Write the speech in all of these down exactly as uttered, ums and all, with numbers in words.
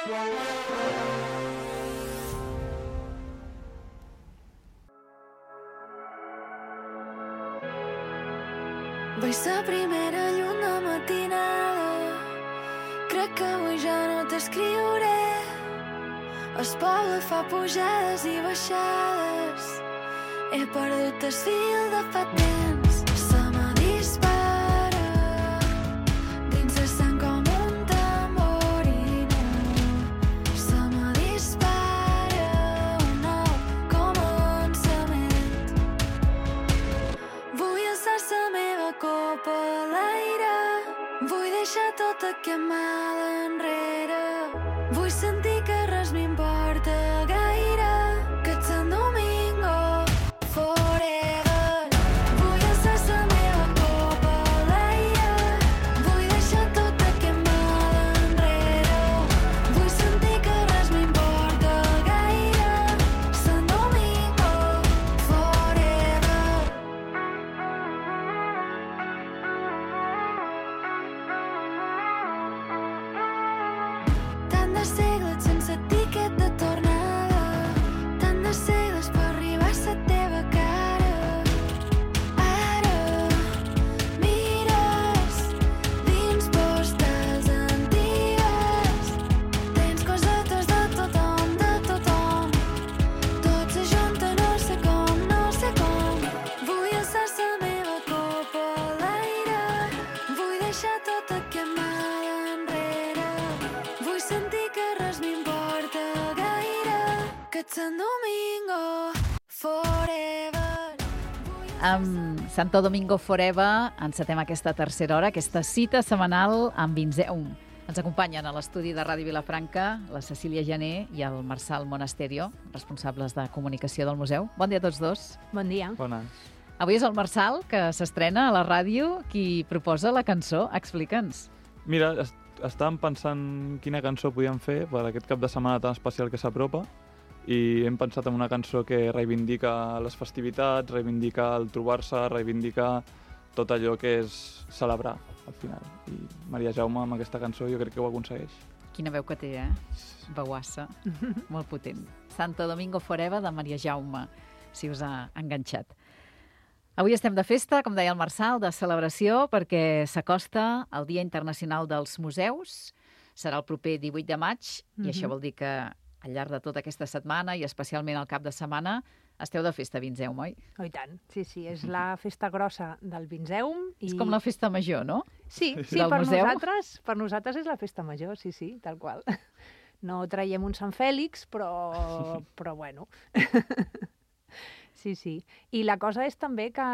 Vaig la primera lluna matinada, crec que avui ja no t'escriuré. El poble fa pujades i baixades, he perdut el fil de fa temps. Se me dispara dins el sang com un tamborino. Se me dispara un nou començament. Vull alçar la meva copa a l'aire, vull deixar tot aquest mal enrere. Vull sentir que res m'importa gaire, que ets en Domingo forever. Vull alçar la meva copa a l'aire, vull deixar tot aquest mal enrere. Vull sentir que res m'importa gaire, Sant Domingo forever. Tant de segles sense tiquet de tornada, tant de segles per arribar a la teva cara. Ara mires dins postals antigues, tens cosetes de tothom, de tothom. Tot s'ajunta, no sé com, no sé com. Vull alçar la meva copa a l'aire, vull deixar tot aquest mal enrere. Vull sentir que res m'importa gaire, que ets en Domingo forever. Amb Santo Domingo Forever encetem aquesta tercera hora, aquesta cita setmanal amb Vinzeum. Ens acompanyen a l'estudi de Ràdio Vilafranca la Cecília Jané i el Marçal Monasterio, responsables de comunicació del museu. Bon dia a tots dos. Bon dia. Bones. Avui és el Marçal, que s'estrena a la ràdio, qui proposa la cançó. Explica'ns. Mira, est estàvem pensant quina cançó podíem fer per aquest cap de setmana tan especial que s'apropa i hem pensat en una cançó que reivindica les festivitats, reivindica el trobar-se, reivindica tot allò que és celebrar al final. I Maria Jaume amb aquesta cançó jo crec que ho aconsegueix. Quina veu que té, eh? Veuassa. Molt potent. Santo Domingo Forever de Maria Jaume, si us ha enganxat. Avui estem de festa, com deia el Marçal, de celebració, perquè s'acosta el Dia Internacional dels Museus. Serà el proper divuit de maig, i això vol dir que al llarg de tota aquesta setmana, i especialment al cap de setmana, esteu de festa a Vinzeum, oi? Oh, i tant. Sí, sí, és la festa grossa del Vinzeum. I... És com la festa major, no? Sí, sí, Del per museu. nosaltres, per nosaltres és la festa major, sí, sí, tal qual. No traiem un Sant Fèlix, però, però bueno. Sí, sí. I la cosa és també que,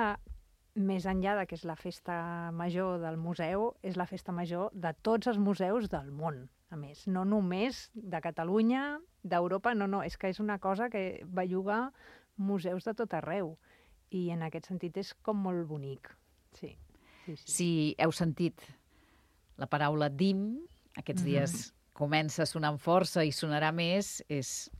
més enllà de que és la festa major del museu, és la festa major de tots els museus del món, a més. No només de Catalunya, d'Europa, no, no, és que és una cosa que belluga museus de tot arreu. I en aquest sentit és com molt bonic. Sí, sí, sí. Si heu sentit la paraula D I M, aquests dies comença sonant força i sonarà més, és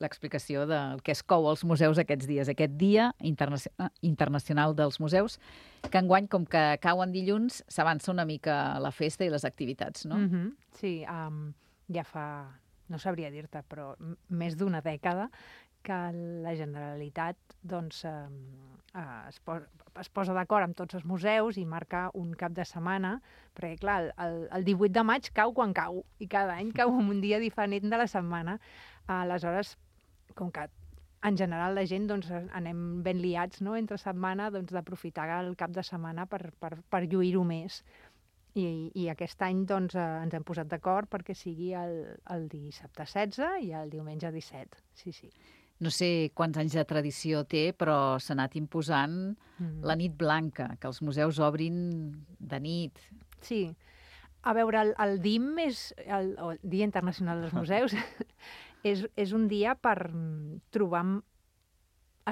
l'explicació del que es cou als museus aquests dies, aquest Dia Internacional, Internacional dels Museus, que enguany, com que cau en dilluns, s'avança una mica la festa i les activitats, no? Mm-hmm. Sí, um, ja fa, no sabria dir-te, però m- més d'una dècada que la Generalitat doncs, eh, eh, es, posa, es posa d'acord amb tots els museus i marca un cap de setmana, perquè clar, el, el divuit de maig cau quan cau, i cada any cau en un dia diferent de la setmana. Aleshores, com que en general la gent doncs, anem ben liats, no? Entre setmana, doncs, d'aprofitar el cap de setmana per, per, per lluir-ho més. I, i aquest any doncs, eh, ens hem posat d'acord perquè sigui el, el dissabte setze i el diumenge disset. Sí, sí. No sé quants anys de tradició té, però s'ha anat imposant Mm. la nit blanca, que els museus obrin de nit. Sí. A veure, el, el D I M, és, el, el Dia Internacional dels Museus, és, és un dia per mm, trobar m-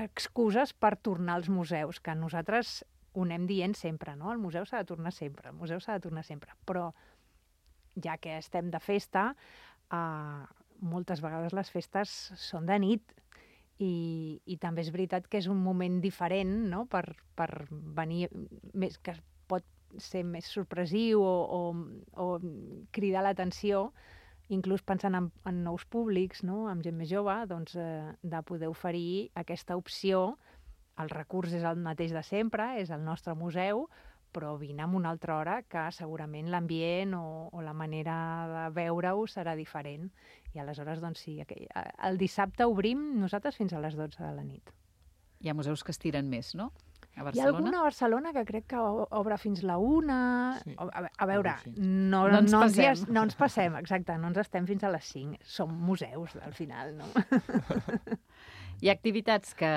excuses per tornar als museus, que nosaltres ho anem dient sempre, no? El museu s'ha de tornar sempre, el museu s'ha de tornar sempre. Però, ja que estem de festa, eh, moltes vegades les festes són de nit, i, i també és veritat que és un moment diferent, no? per, per venir, més, que pot ser més sorpresiu o, o, o cridar l'atenció, inclús pensant en, en nous públics, no? Amb gent més jove, doncs, eh, de poder oferir aquesta opció. El recurs és el mateix de sempre, és el nostre museu, però vine amb una altra hora que segurament l'ambient o, o la manera de veure-ho serà diferent. I aleshores, doncs sí, aquell, el dissabte obrim nosaltres fins a les dotze de la nit. Hi ha museus que estiren més, no? A Barcelona? Hi ha alguna a Barcelona que crec que obre fins la una... Sí. A, a veure, Sí. no, No ens no, ens, passem. no ens passem, exacte, no ens estem fins a les cinc. Som museus, al final, no? Hi ha activitats que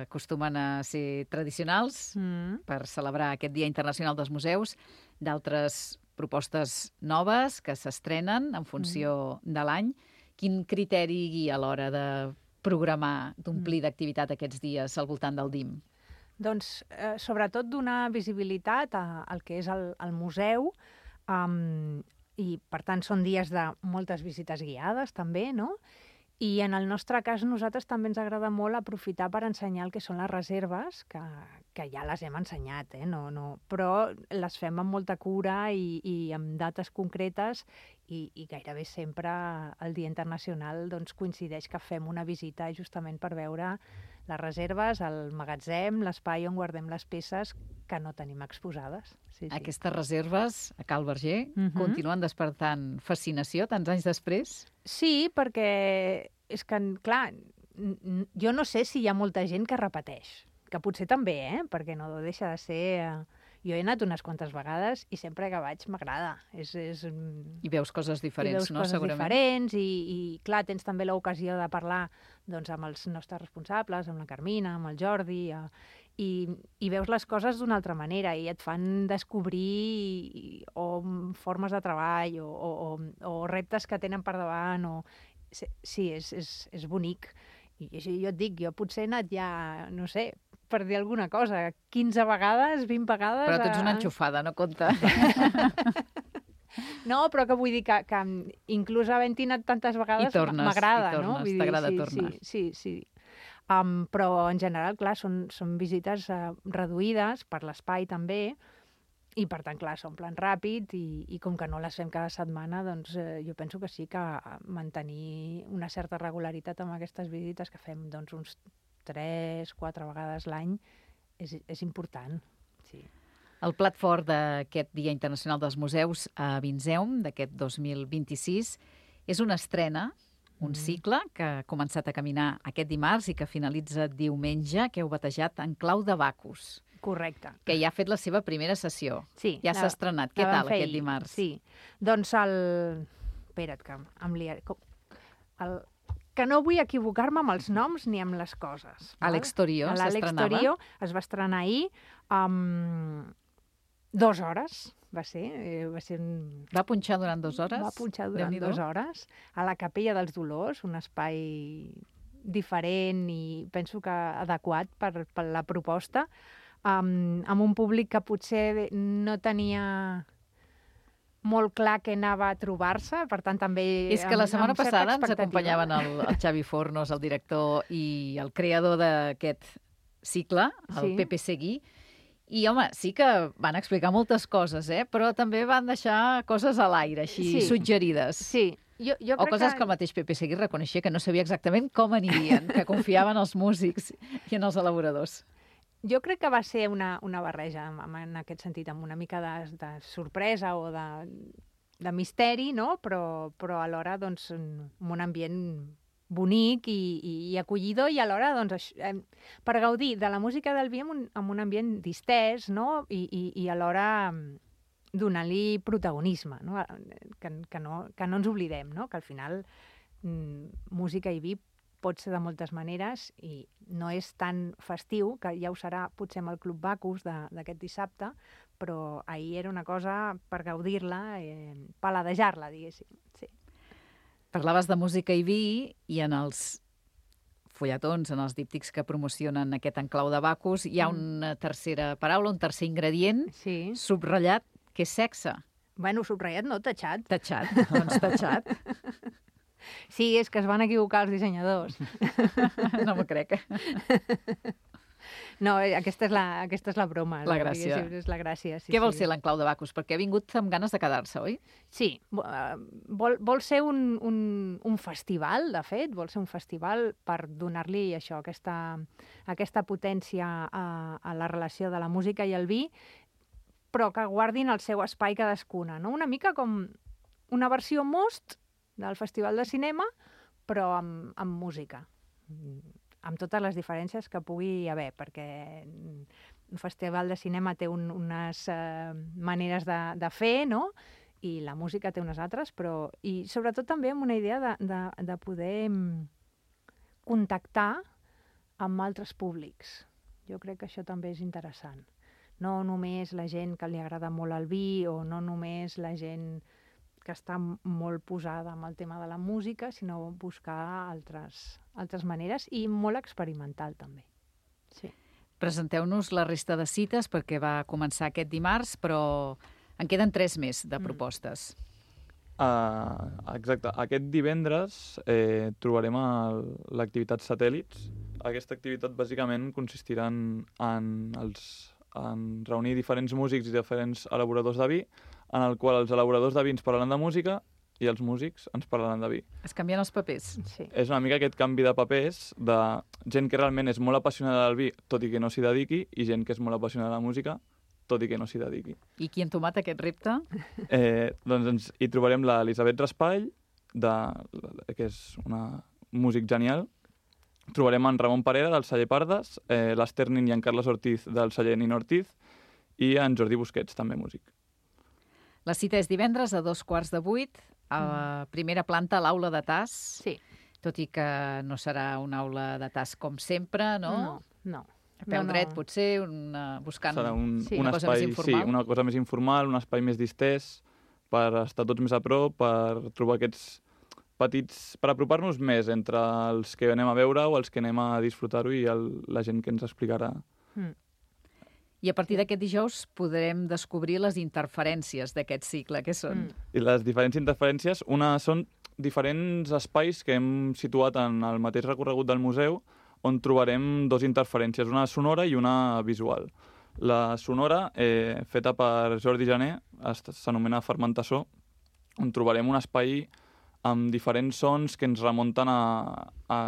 acostumen a ser tradicionals Mm. per celebrar aquest Dia Internacional dels Museus, d'altres propostes noves que s'estrenen en funció de l'any. Quin criteri guia a l'hora de programar, d'omplir d'activitat aquests dies al voltant del D I M? Doncs, eh, sobretot, donar visibilitat a- al que és el, el museu, um, i, per tant, són dies de moltes visites guiades, també, no? I en el nostre cas, nosaltres també ens agrada molt aprofitar per ensenyar el que són les reserves, que, que ja les hem ensenyat, eh? no, no, però les fem amb molta cura i, i amb dates concretes, i, i gairebé sempre el Dia Internacional doncs, coincideix que fem una visita justament per veure les reserves, el magatzem, l'espai on guardem les peces que no tenim exposades. Sí, sí. Aquestes reserves a Cal Verger Mhm. continuen despertant fascinació tants anys després? Sí, perquè és que, clar, n- n- jo no sé si hi ha molta gent que repeteix, que potser també, eh? Perquè no deixa de ser... eh, Jo he anat unes quantes vegades i sempre que vaig m'agrada. És, és, I veus coses i diferents, veus no? coses Segurament. diferents i, i, clar, tens també l'ocasió de parlar doncs, amb els nostres responsables, amb la Carmina, amb el Jordi, eh, i, i veus les coses d'una altra manera i et fan descobrir i, o formes de treball o, o, o, o reptes que tenen per davant. O... Sí, és, és, és bonic. I així jo et dic, jo potser he anat ja, no sé, per dir alguna cosa, quinze vegades, vint vegades... Però tu ets una a- enxufada, no compta. No, però que vull dir que, que inclús havent-hi anat tantes vegades I tornes, m'agrada, i no? tornes, Vull dir, t'agrada sí, tornar. Sí, sí, sí. Um, però en general, clar, són, són visites uh, reduïdes per l'espai també, i per tant, clar, s'omplen ràpid i, i com que no les fem cada setmana, doncs eh, jo penso que sí que mantenir una certa regularitat amb aquestes visites que fem doncs, uns tres, quatre vegades l'any és, és important, sí. El plat fort d'aquest Dia Internacional dels Museus a Vinseum, d'aquest dos mil vint-i-sis, és una estrena, un Mm. cicle que ha començat a caminar aquest dimarts i que finalitza diumenge, que heu batejat En clau de Bacus, Correcte. que ja ha fet la seva primera sessió. Sí, Ja la- s'ha estrenat. Què la vam tal fer aquest ahir, dimarts? Sí. Doncs el... Espera't, que em liaré. Com- El... Que no vull equivocar-me amb els noms ni amb les coses. val? Àlex Torio A l'Àlex s'estrenava? Torio es va estrenar ahir amb dues hores, va ser. eh, Va ser un... Va punxar durant dues hores? Va punxar durant Déu-n'hi-do. dues hores a la Capella dels Dolors, un espai diferent i penso que adequat per, per la proposta, um, amb un públic que potser no tenia molt clar què anava a trobar-se, per tant també... És que la amb- setmana amb certa passada ens expectativa. acompanyaven el, el Xavi Fornos, el director i el creador d'aquest cicle, el Sí. Pepe Seguí, i, home, sí que van explicar moltes coses, eh? Però també van deixar coses a l'aire, així, Sí. suggerides. Sí, jo, jo O crec coses que... que el mateix Pepe Seguí reconeixia que no sabia exactament com anirien, que confiava en els músics i en els elaboradors. Jo crec que va ser una, una barreja, en, en aquest sentit, amb una mica de, de sorpresa o de, de misteri, no? Però, però alhora, doncs, amb un ambient bonic i, i, i acollidor i alhora, doncs, això, eh, per gaudir de la música del vi amb un, amb un ambient distès, no? I, i, i alhora mm, donant-li protagonisme, no? Que, que, no? que no ens oblidem, no? Que al final mm, música i vi pot ser de moltes maneres i no és tan festiu, que ja ho serà potser amb el Club Bacus de- d'aquest dissabte, però ahir era una cosa per gaudir-la, eh, paladejar-la, diguéssim. Sí. Parlaves de música i vi i en els fulletons, en els díptics que promocionen aquest enclau de Bacus, hi ha Mm. una tercera paraula, un tercer ingredient Sí. subratllat, que és sexe. Bueno, subratllat no, tatxat. Tatxat, doncs tatxat. Sí, és que es van equivocar els dissenyadors. No m'ho crec. No, eh, aquesta és la, aquesta és la broma. La gràcia. diguéssim, És la gràcia, sí. Què vol sí. ser l'Enclau de Bacus? Perquè ha vingut amb ganes de quedar-se, oi? Sí, vo- eh, vol, vol ser un, un, un festival, de fet, vol ser un festival per donar-li això, aquesta, aquesta potència a, a la relació de la música i el vi, però que guardin el seu espai cadascuna, no? Una mica com una versió Most del Festival de Cinema, però amb, amb música, amb totes les diferències que pugui haver, perquè un festival de cinema té un, unes eh, maneres de, de fer, no?, i la música té unes altres, però... I sobretot també amb una idea de, de, de poder mm, contactar amb altres públics. Jo crec que això també és interessant. No només la gent que li agrada molt el vi o no només la gent que està molt posada amb el tema de la música, sinó buscar altres, altres maneres i molt experimental també. Sí. Presenteu-nos la resta de cites perquè va començar aquest dimarts, però en queden tres més de propostes. Uh, exacte. Aquest divendres eh, trobarem el- l'activitat Satèl·lits. Aquesta activitat bàsicament consistirà en, en, els, en reunir diferents músics i diferents elaboradors de vi, en el qual els elaboradors de vi ens parlaran de música i els músics ens parlaran de vi. Es canvien els papers. Sí. És una mica aquest canvi de papers de gent que realment és molt apassionada del vi, tot i que no s'hi dediqui, i gent que és molt apassionada de la música, tot i que no s'hi dediqui. I qui ha entomat aquest repte? Eh, doncs ens, hi trobarem l'Elisabet Raspall, de, que és una músic genial. Trobarem en Ramon Parera, del celler Pardes, eh, l'Ester Nin i en Carles Ortiz, del celler Nin Ortiz, i en Jordi Busquets, també músic. La cita és divendres a dos quarts de vuit, a la primera planta, a l'aula de Tas, Sí. tot i que no serà una aula de Tas com sempre, no? No, no. A peu no, no. dret, potser, una, buscant... Serà un, sí, un una cosa espai, més informal. Sí, una cosa més informal, un espai més distès, per estar tots més a prop, per trobar aquests petits... per apropar-nos més entre els que anem a veure o els que anem a disfrutar-ho i el, la gent que ens explicarà. Mm. I a partir d'aquest dijous podrem descobrir les interferències d'aquest cicle. Què són? Mm. I les diferents interferències, una són diferents espais que hem situat en el mateix recorregut del museu, on trobarem dos interferències, una sonora i una visual. La sonora, eh, feta per Jordi Jané, es- s'anomena Fermentassó, on trobarem un espai amb diferents sons que ens remunten a, a,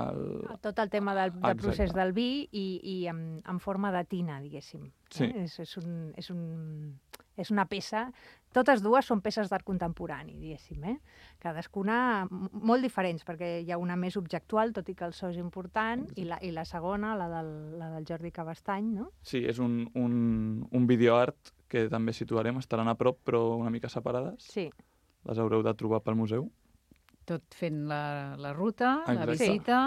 Tot el tema del, del Exacte. procés del vi i, i en, en forma de tina, diguéssim. Sí. Eh? És, és, un, és, un, és una peça... Totes dues són peces d'art contemporani, diguéssim. Eh? Cadascuna m- molt diferents, perquè hi ha una més objectual, tot i que el so és important, i la, i la segona, la del, la del Jordi Cabestany, no? Sí, és un, un, un videoart que també situarem, estaran a prop però una mica separades. Sí. Les haureu de trobar pel museu. Tot fent la, la ruta, la Exacte. visita...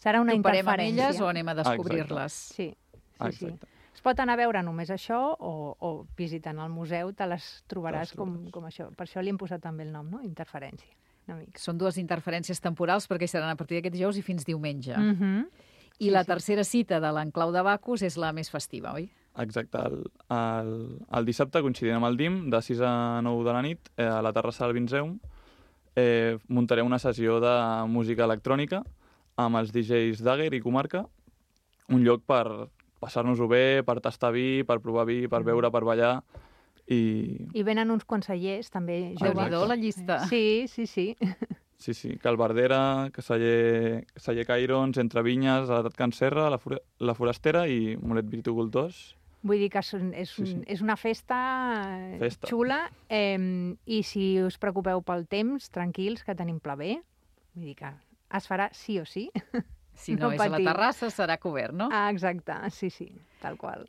Serà una Toparem amb interferència. elles o anem a descobrir-les? Sí, sí, sí. Exacte. Es pot anar a veure només això o, o visitant el museu te les trobaràs Te les com, trobaràs. com això. Per això li hem posat també el nom, no? Interferència. Una mica. Són dues interferències temporals perquè seran a partir d'aquest dijous i fins diumenge. Mm -hmm. I sí, la sí. tercera cita de l'Enclau de Bacus és la més festiva, oi? Exacte. El, el, el dissabte, coincidint amb el D I M, de sis a nou de la nit, eh, a la terrassa del Vinzeum, eh, muntarem una sessió de música electrònica amb els D Js Dagger i Comarca, un lloc per passar-nos-ho bé, per tastar vi, per provar vi, per beure, per ballar, i I venen uns consellers, també joves. Déu-n'hi-do, la llista. Sí, sí, sí. sí, sí, Calbardera, Celler, Celler Cairons, Entre Vinyes, Edat Can Serra, la, Fore- la Forastera i Molet Viticultors. Vull dir que és, un, és, un, Sí, sí. és una festa, eh, Festa. xula, eh, i si us preocupeu pel temps, tranquils, que tenim pla bé. Vull dir que es farà sí o sí. Si no, No és a la patiu. terrassa, serà cobert, no? Ah, exacte, sí, sí, tal qual.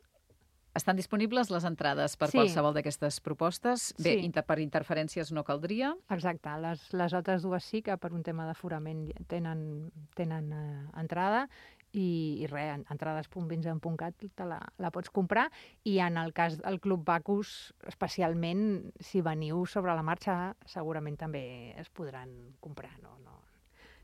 Estan disponibles les entrades per Sí. qualsevol d'aquestes propostes? Bé, Sí. inter per interferències no caldria. Exacte, les, les altres dues sí que per un tema d'aforament tenen, tenen eh, entrada i, i res, en- entrades punt vinzem punt cat te la, la pots comprar i en el cas del Club Bacus, especialment si veniu sobre la marxa, segurament també es podran comprar, no, no,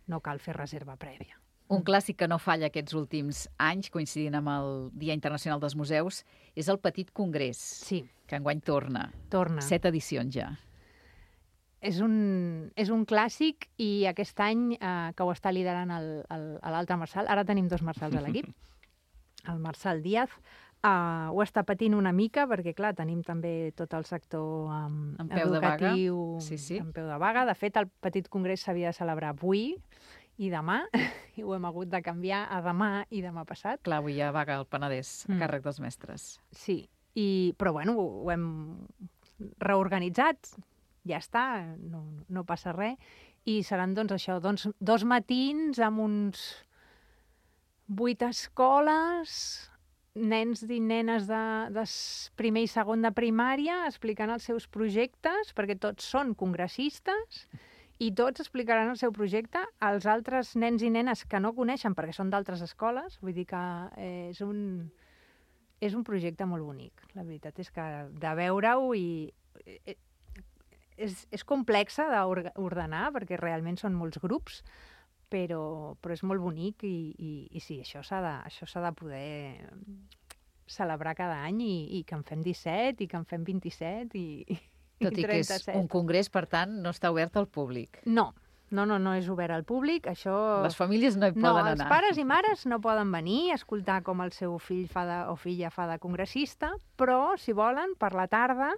no cal fer reserva prèvia. Un clàssic que no falla aquests últims anys, coincidint amb el Dia Internacional dels Museus, és el Petit Congrés, Sí, que enguany torna. torna. Set edicions ja. És un, és un clàssic i aquest any eh, que ho està liderant el- el- l'altre Marçal, ara tenim dos Marçals a l'equip, el Marçal Díaz, uh, ho està patint una mica, perquè, clar, tenim també tot el sector um, En peu de vaga. educatiu Sí, sí. en peu de vaga. De fet, el petit congrés s'havia de celebrar avui i demà, i ho hem hagut de canviar a demà i demà passat. Clar, avui hi ha vaga al Penedès, a Mm. càrrec dels mestres. Sí, i, però bueno, ho, ho hem reorganitzat, ja està, no, no passa res, i seran doncs això, doncs, dos matins amb uns vuit escoles, nens i nenes de, de s- primer i segon de primària explicant els seus projectes, perquè tots són congressistes, i tots explicaran el seu projecte als altres nens i nenes que no coneixen perquè són d'altres escoles. Vull dir que eh, és un, és un projecte molt bonic. La veritat és que de veure-ho i... eh, és, és complexa d'ordenar perquè realment són molts grups, però, però és molt bonic i, i, i sí, això s'ha de, això s'ha de poder celebrar cada any i, i que en fem disset i que en fem vint-i-set i, Tot i que és trenta-set. un congrés, per tant, no està obert al públic. No, no, no, no és obert al públic, això... Les famílies no hi No, poden els anar. pares i mares no poden venir a escoltar com el seu fill fa de, o filla fa de congressista, però, si volen, per la tarda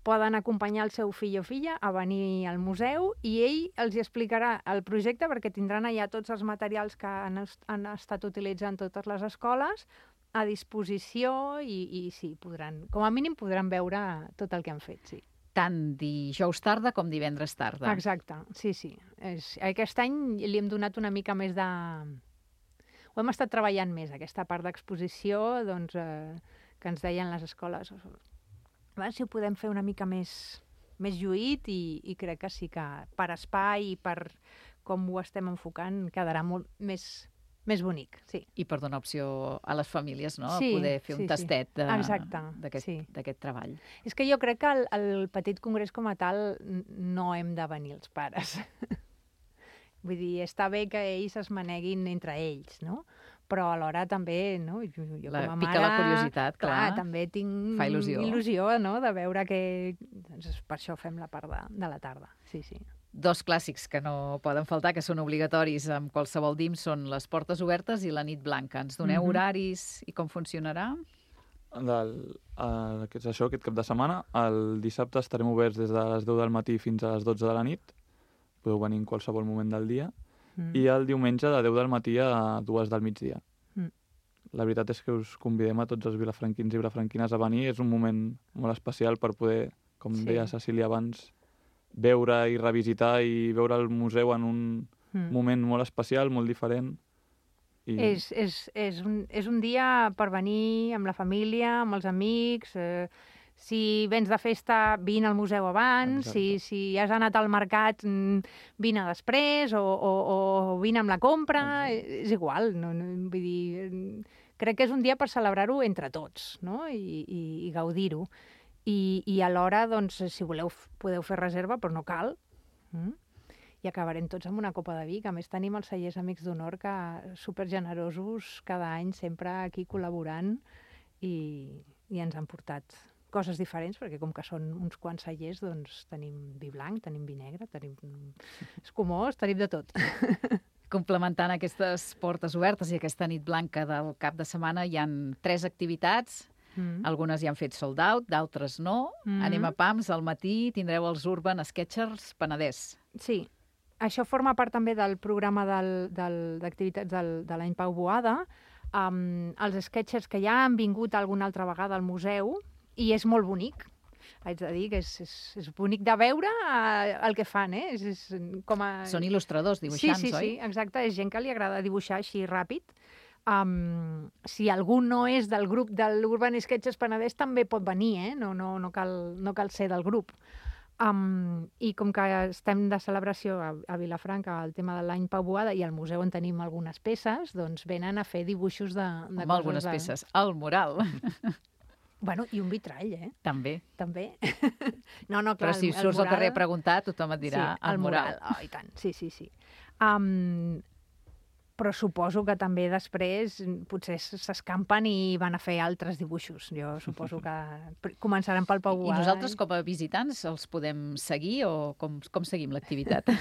poden acompanyar el seu fill o filla a venir al museu i ell els hi explicarà el projecte perquè tindran allà tots els materials que han, est- han estat utilitzant totes les escoles a disposició i, i sí, podran, com a mínim podran veure tot el que han fet, sí. Tant dijous tarda com divendres tarda. Exacte, sí, sí. És, aquest any li hem donat una mica més de... Ho hem estat treballant més, aquesta part d'exposició, doncs, eh, que ens deien les escoles. A veure si ho podem fer una mica més, més lluït i, i crec que sí que per espai i per com ho estem enfocant quedarà molt més, més bonic, sí. I per donar opció a les famílies, no? Sí, a poder fer sí, un sí. tastet de- Exacte, d'aquest sí. d'aquest treball. És que jo crec que el, el petit congrés com a tal n- no hem de venir els pares. Vull dir, està bé que ells es maneguin entre ells, no? Però alhora també, no? Jo, jo La- com a pica mare... la curiositat, clar. també tinc Fa il·lusió. il·lusió, no?, de veure que... Doncs per això fem la part de, de la tarda, sí, sí. Dos clàssics que no poden faltar, que són obligatoris amb qualsevol D I M, són les portes obertes i la nit blanca. Ens doneu Mhm. horaris i com funcionarà? Del, eh, que és això, aquest cap de setmana. El dissabte estarem oberts des de les deu del matí fins a les dotze de la nit. Podeu venir en qualsevol moment del dia. Mm. I el diumenge de deu del matí a dues del migdia. Mm. La veritat és que us convidem a tots els vilafranquins i vilafranquines a venir. És un moment molt especial per poder, com Sí. deia Cecília abans, veure i revisitar i veure el museu en un Mm. moment molt especial, molt diferent. I... És, és, és, un, és un dia per venir amb la família, amb els amics. Eh, si vens de festa, vine al museu abans. Si, Exacte. si has anat al mercat, mm, vine després o, o, o vine amb la compra. Exacte. És igual. No, no, vull dir, mm, crec que és un dia per celebrar-ho entre tots, no? I, i, i gaudir-ho. I, i alhora, doncs, si voleu, f- podeu fer reserva, però no cal. Mm? I acabarem tots amb una copa de vi, que a més tenim els cellers Amics d'Honor que supergenerosos cada any sempre aquí col·laborant i, i ens han portat coses diferents, perquè com que són uns quants cellers, doncs tenim vi blanc, tenim vi negre, tenim escumós, tenim de tot. Complementant aquestes portes obertes i aquesta nit blanca del cap de setmana, hi han tres activitats. Mm. Algunes ja han fet sold out, d'altres no. Mhm. Anem a Pams, al matí tindreu els Urban Sketchers Penedès. Sí, això forma part també del programa del- del- d'activitats del, de l'any Pau Boada. Um, els sketchers que ja han vingut alguna altra vegada al museu i és molt bonic. Haig de dir que és, és, és bonic de veure uh, el que fan, eh? És, és com a... Són il·lustradors, dibuixants, sí, sí, oi? sí, exacte. És gent que li agrada dibuixar així ràpid. Um, si algú no és del grup de l'Urban Sketches Penedès també pot venir, eh? No, no, no, cal, no cal ser del grup. Um, I com que estem de celebració a, a Vilafranca, el tema de l'any Pau Boada, i al museu on tenim algunes peces, doncs venen a fer dibuixos de, de Amb algunes de... peces. El mural, Bueno, i un vitrall, eh? també. També. no, no, clar, Però si el, el surts al mural... carrer a preguntar, tothom et dirà sí, el mural. Oh, i tant, sí, sí, sí. Um, però suposo que també després potser s'escampen i van a fer altres dibuixos. Jo suposo que pr- començaran pel Pau I Boada. nosaltres, com a visitants, els podem seguir o com, com seguim l'activitat?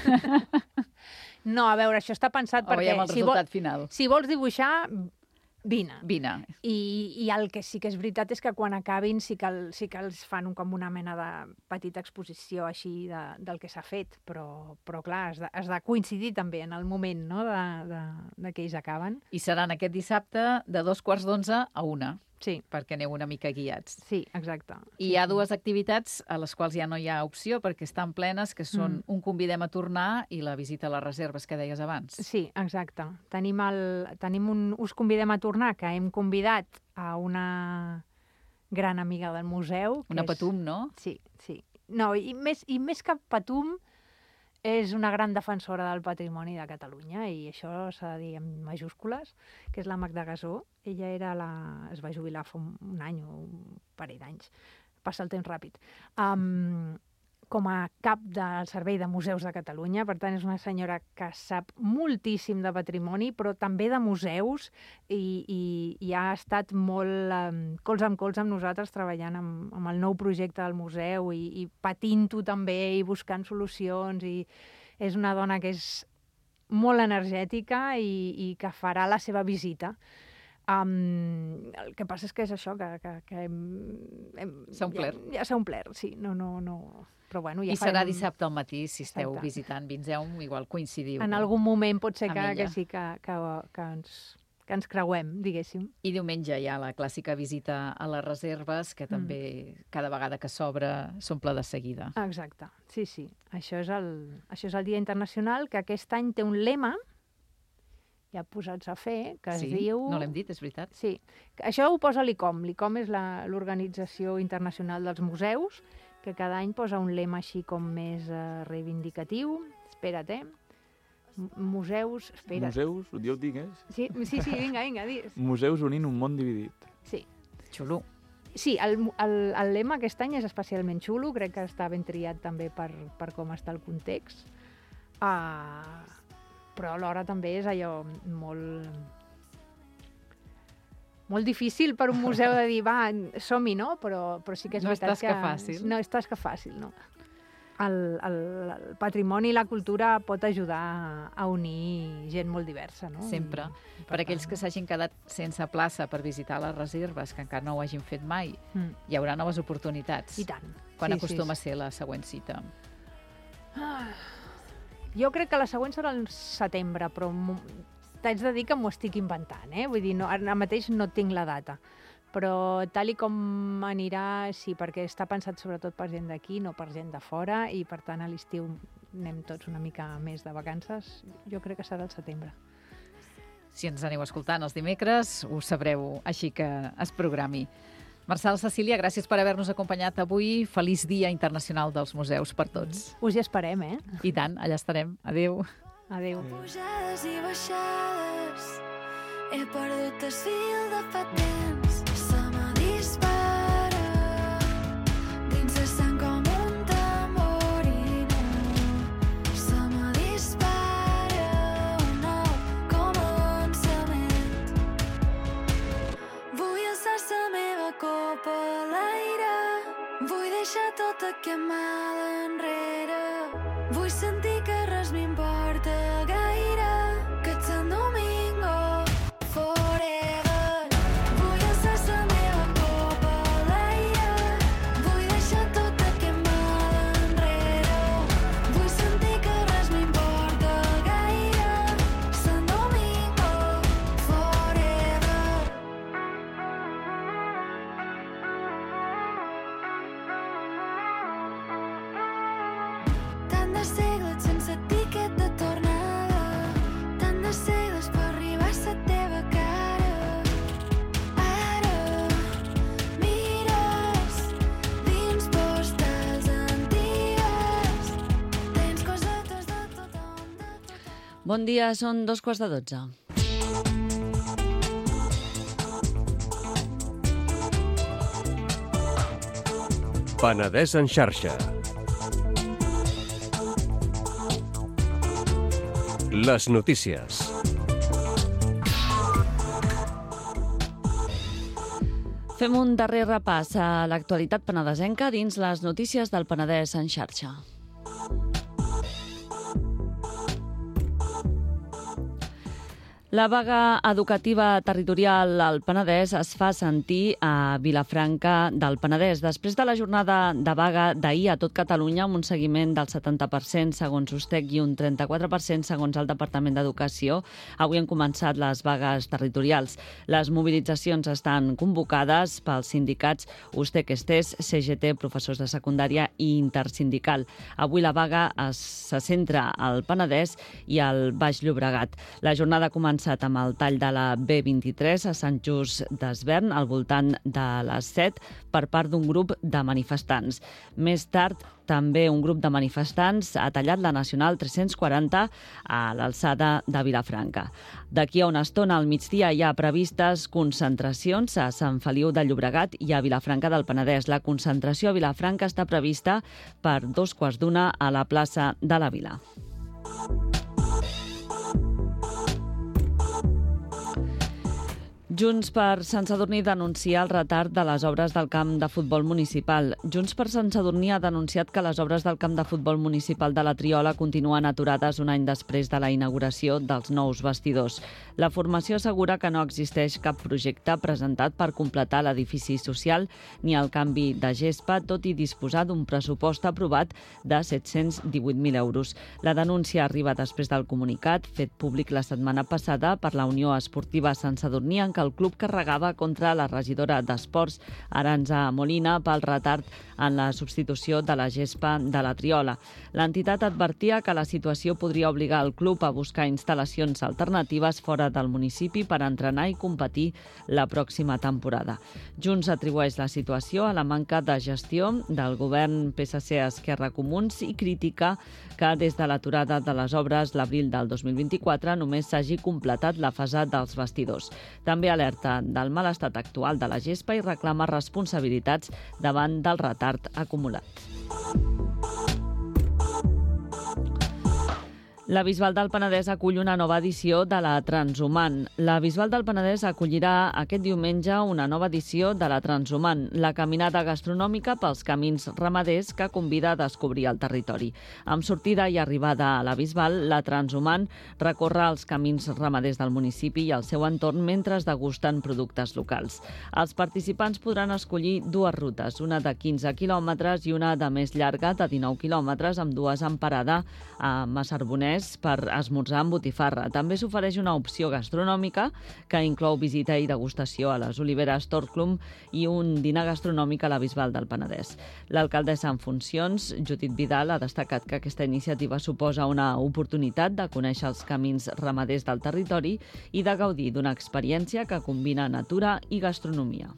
No, a veure, això està pensat O perquè... veiem el si, vol, resultat final? si vols dibuixar, Vine. Vine. I, I el que sí que és veritat és que quan acabin sí que, el, sí que els fan un, com una mena de petita exposició així de, del que s'ha fet, però, però clar, has de, has de coincidir també en el moment, no?, de, de, de que ells acaben. I seran aquest dissabte de dos quarts d'onze a una, Sí, perquè aneu una mica guiats. sí, exacte. I hi ha dues activitats a les quals ja no hi ha opció perquè estan plenes, que són Mm. un convidem a tornar i la visita a les reserves que deies abans. Sí, exacte. Tenim, el, tenim un Us convidem a tornar, que hem convidat a una gran amiga del museu. que Una és- Patum, no? Sí, sí. No, i més, i més que Patum, és una gran defensora del patrimoni de Catalunya, i això s'ha de dir en majúscules, que és la Magda Gasó. Ella era la... es va jubilar fa un, un any o un parell d'anys. Passa el temps ràpid. Um, com a cap del Servei de Museus de Catalunya, per tant, és una senyora que sap moltíssim de patrimoni, però també de museus, i, i, i ha estat molt um, cols amb cols amb nosaltres, treballant amb, amb el nou projecte del museu, i, i patint-ho també, i buscant solucions, i és una dona que és molt energètica i, i que farà la seva visita. Um, el que passa és que és això, que, que, que hem, hem, S'ha omplert. Ja, ja s'ha omplert, sí. No, no, no. Però bueno, ja I serà farem... dissabte al matí, si esteu Exacte. visitant Vinzeu, igual coincidiu. En algun moment pot ser amb que, ella. que sí que, que, que, ens, que ens creuem, diguéssim. I diumenge hi ha la clàssica visita a les reserves, que també cada vegada que s'obre s'omple de seguida. Exacte, sí, sí. Això és, el, això és el Dia Internacional, que aquest any té un lema, ja posats a fer, que es sí? diu... No l'hem dit, és veritat? Sí, això ho posa l'I C O M. L'I C O M és la- l'Organització Internacional dels Museus, que cada any posa un lema així com més eh, reivindicatiu. Espera't, eh? M- Museus... Espera't. Museus, jo ho dic, eh? Sí, sí, sí, vinga, vinga, digues. Museus unint un món dividit. Sí. Xulo. Sí, el, el, el lema aquest any és especialment xulo, crec que està ben triat també per, per com està el context. Uh, però alhora també és allò molt... molt difícil per un museu de dir, va, som-hi, no? Però, però sí que és No és veritat tasca que... fàcil. No és tasca fàcil, no. El, el, el patrimoni i la cultura pot ajudar a unir gent molt diversa, no? Sempre. I, i Per aquells que s'hagin quedat sense plaça per visitar les reserves, que encara no ho hagin fet mai, Mm, hi haurà noves oportunitats. I tant. Quan Sí, acostuma sí, a ser la següent cita? Ah, jo crec que la següent serà el setembre, però m'ho- t'haig de dir que m'ho estic inventant, eh? Vull dir, no, ara mateix no tinc la data. Però tal i com anirà, sí, perquè està pensat sobretot per gent d'aquí, no per gent de fora, i per tant a l'estiu anem tots una mica més de vacances. Jo crec que serà el setembre. Si ens aneu escoltant els dimecres, ho sabreu, així que es programi. Marçal, Cecília, gràcies per haver-nos acompanyat avui. Feliç Dia Internacional dels Museus per tots. Us hi esperem, eh? I tant, allà estarem. Adéu. Adéu. Pujades i baixades, he perdut el fil de fa temps. Se me dispara dins la sang com un tamborino. Se me dispara un nou començament. Vull alçar la meva copa a l'aire, vull deixar tot aquest mal enrere. Vull sentir que res m'importa gaire, que ets Sant Domingo forever. Vull alçar la meva copa a l'aire, vull deixar tot aquest mal enrere. Vull sentir que res m'importa gaire, Sant Domingo forever. Tant de segles sense tiquet de tornada, tant de segles per arribar a la teva cara. Ara mires dins postals antigues, tens cosetes de tothom, de tothom. Bon dia, són dos quarts de dotze. Penedès en xarxa. Les notícies. Fem un darrer repàs a l'actualitat penedesenca dins les notícies del Penedès en xarxa. La vaga educativa territorial al Penedès es fa sentir a Vilafranca del Penedès. Després de la jornada de vaga d'ahir a tot Catalunya, amb un seguiment del setanta per cent segons USTEC i un trenta-quatre per cent segons el Departament d'Educació, avui han començat les vagues territorials. Les mobilitzacions estan convocades pels sindicats USTEC Estés, C G T, professors de secundària i intersindical. Avui la vaga es, se centra al Penedès i al Baix Llobregat. La jornada comença amb el tall de la B vint-i-tres a Sant Just d'Esvern al voltant de les set per part d'un grup de manifestants. Més tard, també un grup de manifestants ha tallat la Nacional tres-cents quaranta a l'alçada de Vilafranca. D'aquí a una estona, al migdia, hi ha previstes concentracions a Sant Feliu de Llobregat i a Vilafranca del Penedès. La concentració a Vilafranca està prevista per dos quarts d'una a la plaça de la Vila. Junts per Sant Sadurní denuncia el retard de les obres del camp de futbol municipal. Junts per Sant Sadurní ha denunciat que les obres del camp de futbol municipal de la Triola continuen aturades un any després de la inauguració dels nous vestidors. La formació assegura que no existeix cap projecte presentat per completar l'edifici social ni el canvi de gespa, tot i disposar d'un pressupost aprovat de set-cents divuit mil euros. La denúncia arriba després del comunicat fet públic la setmana passada per la Unió Esportiva Sant Sadurní, en què el club carregava contra la regidora d'Esports, Arantxa Molina, pel retard en la substitució de la gespa de la Triola. L'entitat advertia que la situació podria obligar el club a buscar instal·lacions alternatives fora del municipi per entrenar i competir la pròxima temporada. Junts atribueix la situació a la manca de gestió del govern P S C-Esquerra Comuns i critica que des de l'aturada de les obres l'abril del dos mil vint-i-quatre només s'hagi completat la fase dels vestidors. També alerta del mal estat actual de la gespa i reclama responsabilitats davant del retard acumulat. La Bisbal del Penedès acull una nova edició de la Transhumant. La Bisbal del Penedès acollirà aquest diumenge una nova edició de la Transhumant, la caminada gastronòmica pels camins ramaders que convida a descobrir el territori. Amb sortida i arribada a la Bisbal, la Transhumant recorre els camins ramaders del municipi i el seu entorn mentre es degusten productes locals. Els participants podran escollir dues rutes, una de quinze quilòmetres i una de més llarga de dinou quilòmetres, amb dues en parada a Massarbonès per esmorzar amb botifarra. També s'ofereix una opció gastronòmica que inclou visita i degustació a les Oliveres Torclum i un dinar gastronòmic a la Bisbal del Penedès. L'alcaldessa en funcions, Judit Vidal, ha destacat que aquesta iniciativa suposa una oportunitat de conèixer els camins ramaders del territori i de gaudir d'una experiència que combina natura i gastronomia.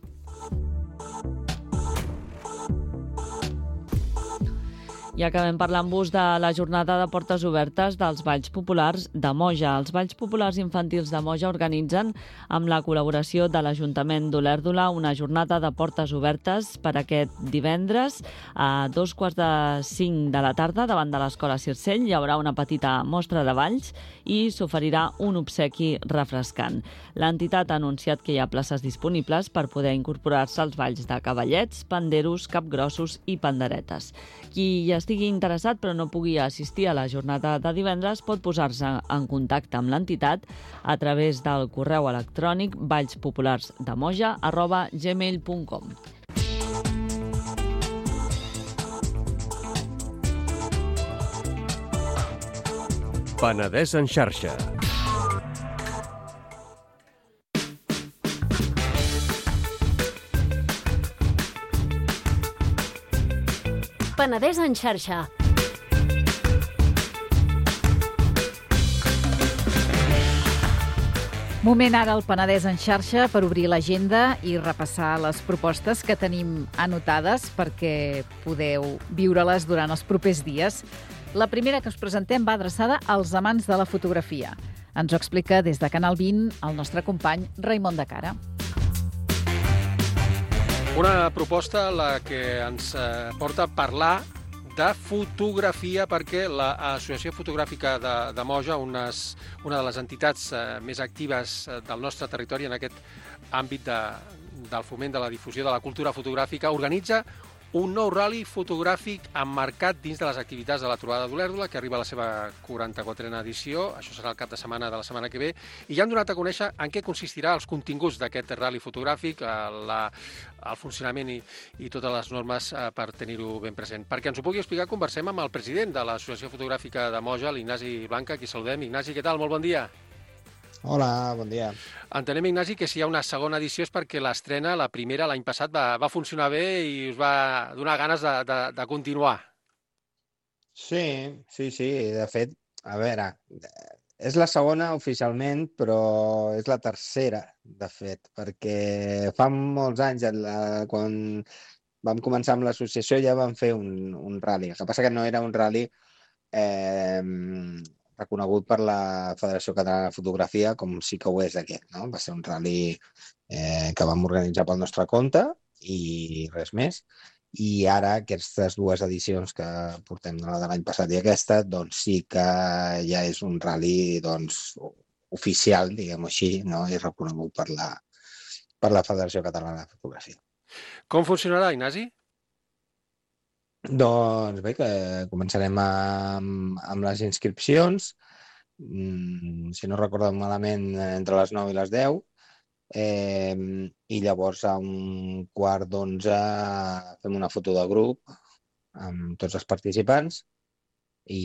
I acabem parlant-vos de la jornada de portes obertes dels Balls Populars de Moja. Els Balls Populars Infantils de Moja organitzen, amb la col·laboració de l'Ajuntament d'Olèrdola, una jornada de portes obertes per aquest divendres a dos quarts de cinc de la tarda davant de l'Escola Circell. Hi haurà una petita mostra de balls i s'oferirà un obsequi refrescant. L'entitat ha anunciat que hi ha places disponibles per poder incorporar-se als balls de cavallets, panderos, capgrossos i panderetes. Qui hi estigui interessat però no pugui assistir a la jornada de divendres pot posar-se en contacte amb l'entitat a través del correu electrònic ballspopularsdemoja arroba gmail punt com. Penedès en xarxa. Penedès en xarxa. Moment ara al Penedès en xarxa per obrir l'agenda i repassar les propostes que tenim anotades perquè podeu viure-les durant els propers dies. La primera que us presentem va adreçada als amants de la fotografia. Ens ho explica des de Canal vint el nostre company Raimon de Cara. Una proposta la que ens porta a parlar de fotografia perquè l'Associació Fotogràfica de, de Moja, unes, una de les entitats més actives del nostre territori en aquest àmbit de, del foment de la difusió de la cultura fotogràfica, organitza un nou rally fotogràfic emmarcat dins de les activitats de la Trobada d'Olèrdola, que arriba a la seva quaranta-quatrena edició. Això serà el cap de setmana de la setmana que ve. I ja han donat a conèixer en què consistirà els continguts d'aquest rally fotogràfic, la, el funcionament i, i totes les normes eh, per tenir-ho ben present. Perquè ens ho pugui explicar, conversem amb el president de l'Associació Fotogràfica de Moja, l'Ignasi Blanca, qui saludem. Ignasi, què tal? Molt bon dia. Hola, bon dia. Entenem, Ignasi, que si hi ha una segona edició és perquè l'estrena, la primera, l'any passat, va, va funcionar bé i us va donar ganes de, de, de continuar. Sí, sí, sí. De fet, a veure, és la segona oficialment, però és la tercera, de fet, perquè fa molts anys, quan vam començar amb l'associació, ja vam fer un, un rally. El que passa que no era un rally eh, reconegut per la Federació Catalana de Fotografia, com sí que ho és aquest, no? Va ser un rally eh, que vam organitzar pel nostre compte i res més. I ara, aquestes dues edicions que portem de l'any passat i aquesta, doncs sí que ja és un rally doncs, oficial, diguem-ho així, no? I reconegut per la, per la Federació Catalana de Fotografia. Com funcionarà, Ignasi? Doncs bé, que començarem amb, amb les inscripcions, mm, si no recordo malament, entre les nou i les deu, eh, i llavors a un quart d'onze fem una foto de grup amb tots els participants i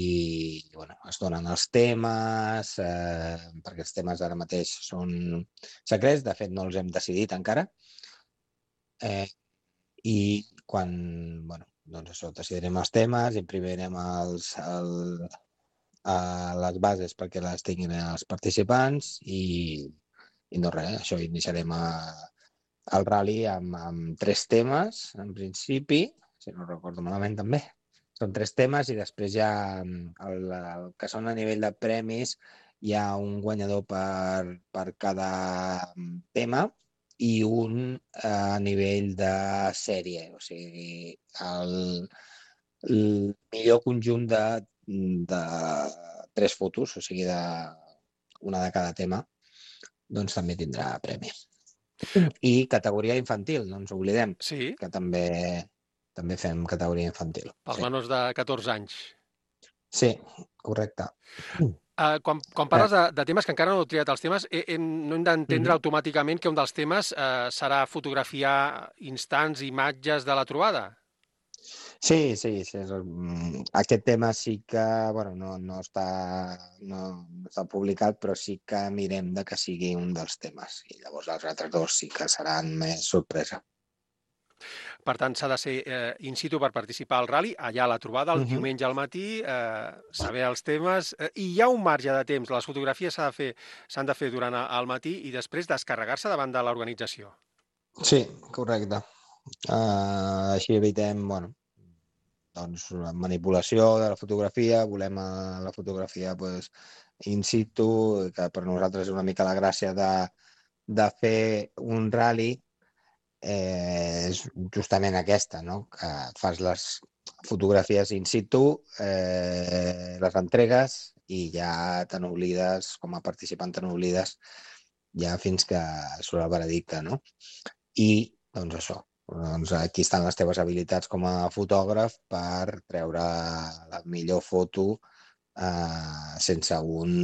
bueno, es donen els temes, eh, perquè els temes ara mateix són secrets, de fet no els hem decidit encara, eh, i quan, bueno, doncs això, decidirem els temes, imprimirem els, el, a les bases perquè les tinguin els participants i, i no res, això, iniciarem a, el rally amb, amb tres temes, en principi, si no recordo malament també. Són tres temes i després ja el, el que són a nivell de premis hi ha un guanyador per, per cada tema i un a nivell de sèrie, o sigui, el, el millor conjunt de, de tres fotos, o sigui, de, una de cada tema, doncs també tindrà premi. I categoria infantil, no ens oblidem, sí? Que també, també fem categoria infantil. Pels sí. menors de catorze anys. Sí, correcte. Uh, quan, quan parles de, de temes que encara no heu triat els temes, eh, eh, no hem d'entendre mm-hmm. automàticament que un dels temes eh, serà fotografiar instants, imatges de la trobada? Sí, sí, sí. Aquest tema sí que bueno, no, no, està, no, no està publicat, però sí que mirem de que sigui un dels temes. I llavors els altres dos sí que seran més sorpresa. Per tant, s'ha de ser eh, in situ per participar al rally, allà a la trobada, el uh-huh. diumenge al matí, eh, saber els temes, eh, i hi ha un marge de temps. Les fotografies s'han de fer, s'han de fer durant el matí i després descarregar-se davant de l'organització. Sí, correcte. Uh, així evitem, bueno, doncs, manipulació de la fotografia, volem uh, la fotografia pues, in situ, que per nosaltres és una mica la gràcia de, de fer un rally. Eh, és justament aquesta, no? Que fas les fotografies in situ, eh, les entregues i ja te n'oblides, com a participant te n'oblides ja fins que surt el veredicte, no? I, doncs això, doncs aquí estan les teves habilitats com a fotògraf per treure la millor foto eh, sense un,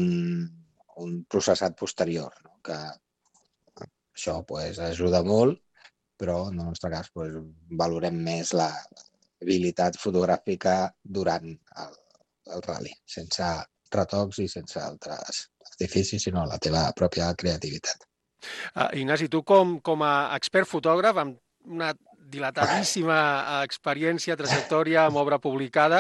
un processat posterior, no? Que això pues, ajuda molt, però en el nostre cas pues, valorem més l'habilitat fotogràfica durant el, el rally, sense retocs i sense altres artificis, sinó la teva pròpia creativitat. Uh, Ignasi, tu com, com a expert fotògraf, amb una dilatadíssima experiència, trajectòria, amb obra publicada,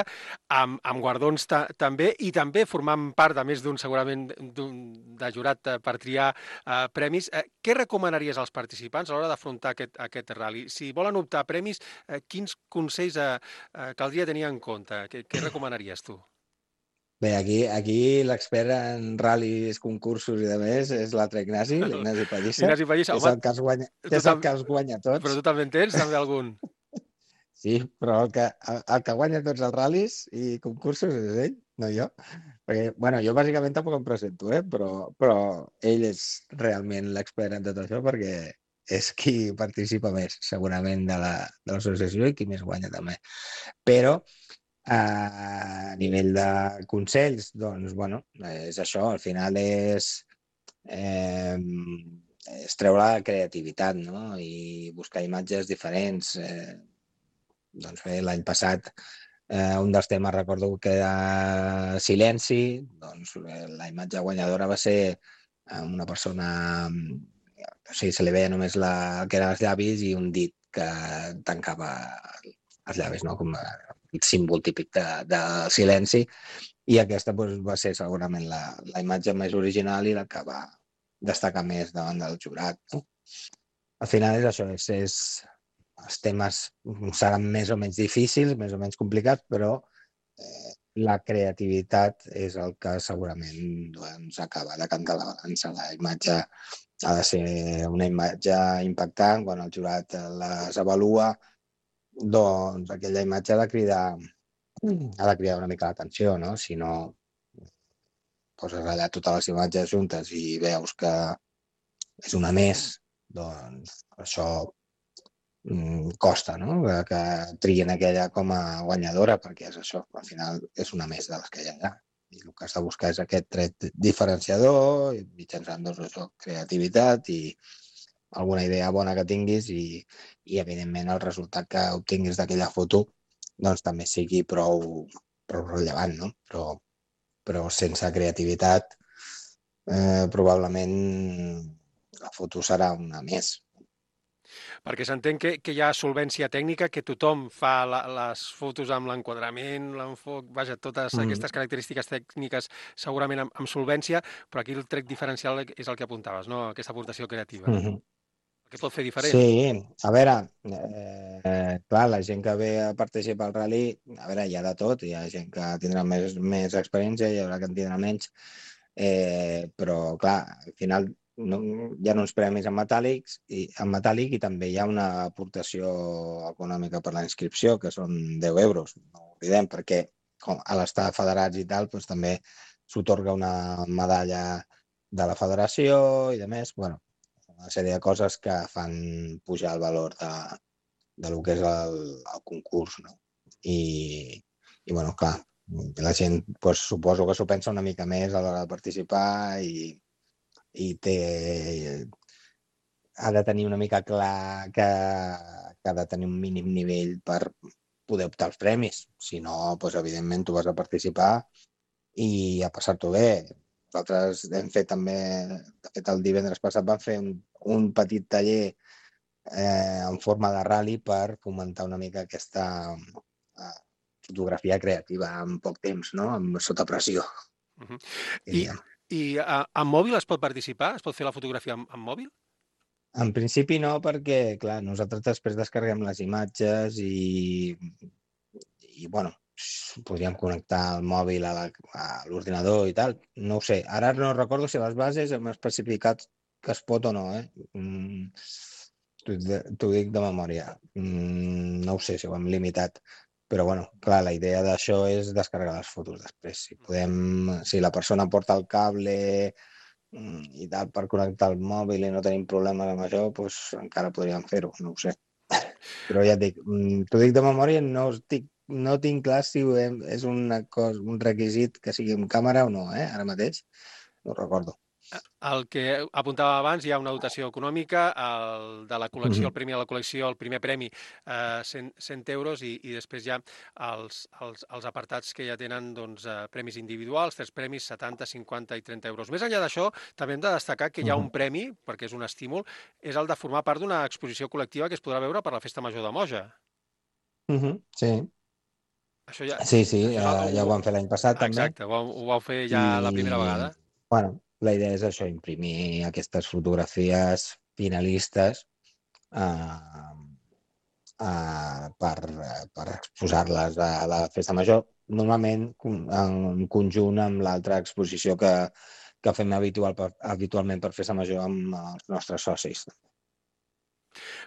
amb, amb guardons ta, també, i també formant part de més d'un, segurament, d'un de jurat per triar eh, premis. Eh, què recomanaries als participants a l'hora d'afrontar aquest, aquest rally? Si volen optar a premis, eh, quins consells eh, eh, caldria tenir en compte? Què, què recomanaries tu? Bé, aquí, aquí l'expert en ral·lis, concursos i de més és l'altre Ignasi, l'Ignasi Pallissa, Ignasi Pallissa, que és el que els guanya, que és el que els guanya tots. Però tu també en tens, també algun? Sí, però el que, el que guanya tots els ral·lis i concursos és ell, no jo. Perquè, bueno, jo bàsicament tampoc em presento, eh? però, però ell és realment l'expert en tot això perquè és qui participa més, segurament, de la, de l'associació i qui més guanya també. Però a nivell de consells, doncs, bueno, és això, al final és, eh, és treure la creativitat, no? I buscar imatges diferents. Eh, doncs bé, l'any passat eh, un dels temes recordo que era silenci, doncs eh, la imatge guanyadora va ser eh, una persona, o sigui, se li veia només la, que eren els llavis i un dit que tancava els llavis, no? Com el símbol típic de, de silenci, i aquesta doncs, va ser segurament la, la imatge més original i la que va destacar més davant del jurat. No? Al final és això, és, és, els temes seran més o menys difícils, més o menys complicats, però eh, la creativitat és el que segurament doncs, acaba de cantar la balança. La imatge ha de ser una imatge impactant, quan el jurat les avalua, doncs aquella imatge ha de cridar, ha de cridar una mica l'atenció, no? Si no poses allà totes les imatges juntes i veus que és una més, doncs això mm, costa, no? Que, que triguin aquella com a guanyadora, perquè és això, al final és una més de les que hi ha allà. I el que has de buscar és aquest tret diferenciador, mitjançant doncs, això, creativitat i alguna idea bona que tinguis i, i evidentment, el resultat que obtinguis d'aquella foto doncs també sigui prou, prou rellevant, no? Però, però sense creativitat eh, probablement la foto serà una més. Perquè s'entén que, que hi ha solvència tècnica, que tothom fa la, les fotos amb l'enquadrament, l'enfoc, vaja, totes mm. aquestes característiques tècniques segurament amb, amb solvència, però aquí el tret diferencial és el que apuntaves, no? Aquesta aportació creativa. Mm-hmm. Què pot fer diferent? Sí, a veure, eh, clar, la gent que ve a participar al rally, a veure, hi ha de tot, hi ha gent que tindrà més, més experiència, hi haurà que en tindrà menys, eh, però clar, al final no, hi ha uns premis en metàl·lics i en metàl·lic i també hi ha una aportació econòmica per la inscripció, que són deu euros, no ho oblidem, perquè com a l'estar federats i tal, doncs també s'otorga una medalla de la federació i de més, bueno, una sèrie de coses que fan pujar el valor de, de lo que és el, el concurs, no? I, i bueno, clar, la gent pues, suposo que s'ho pensa una mica més a l'hora de participar i, i té, ha de tenir una mica clar que, que ha de tenir un mínim nivell per poder optar als premis. Si no, pues, evidentment, tu vas a participar i a passar-t'ho bé. Nosaltres hem fet també, de fet el divendres passat vam fer un, un petit taller eh, en forma de rally per fomentar una mica aquesta eh, fotografia creativa en poc temps, no? Amb, sota pressió. Uh-huh. I i a, amb mòbil es pot participar? Es pot fer la fotografia amb, amb mòbil? En principi no, perquè clar, nosaltres després descarreguem les imatges i, i bueno, podríem connectar el mòbil a l'ordinador i tal. No ho sé. Ara no recordo si les bases hem especificat que es pot o no, eh? Mm, t'ho dic de memòria. Mm, no ho sé si ho hem limitat. Però, bueno, clar, la idea d'això és descarregar les fotos després. Si podem, si la persona porta el cable i tal per connectar el mòbil i no tenim problemes amb això, doncs encara podríem fer-ho, no ho sé. Però ja et dic, t'ho dic de memòria, no estic No tinc clar si és una cosa, un requisit que sigui amb càmera o no, eh? Ara mateix no ho recordo. El que apuntava abans, hi ha una dotació econòmica, el de la col·lecció, el premi de la col·lecció, el primer premi, eh, cent, cent euros, i, i després hi ha els, els, els apartats que ja tenen doncs, eh, premis individuals, tres premis, setanta, cinquanta i trenta euros. Més enllà d'això, també hem de destacar que hi ha un premi, perquè és un estímul, és el de formar part d'una exposició col·lectiva que es podrà veure per la Festa Major de Moja. Uh-huh, sí. Això ja, sí, sí, això ja, ja ho vam fer l'any passat, també. Exacte, ho, ho vau fer ja I, la primera vegada. Bueno, la idea és això, imprimir aquestes fotografies finalistes eh, eh, per, per exposar-les a la Festa Major, normalment en conjunt amb l'altra exposició que, que fem habitual, habitualment per Festa Major amb els nostres socis.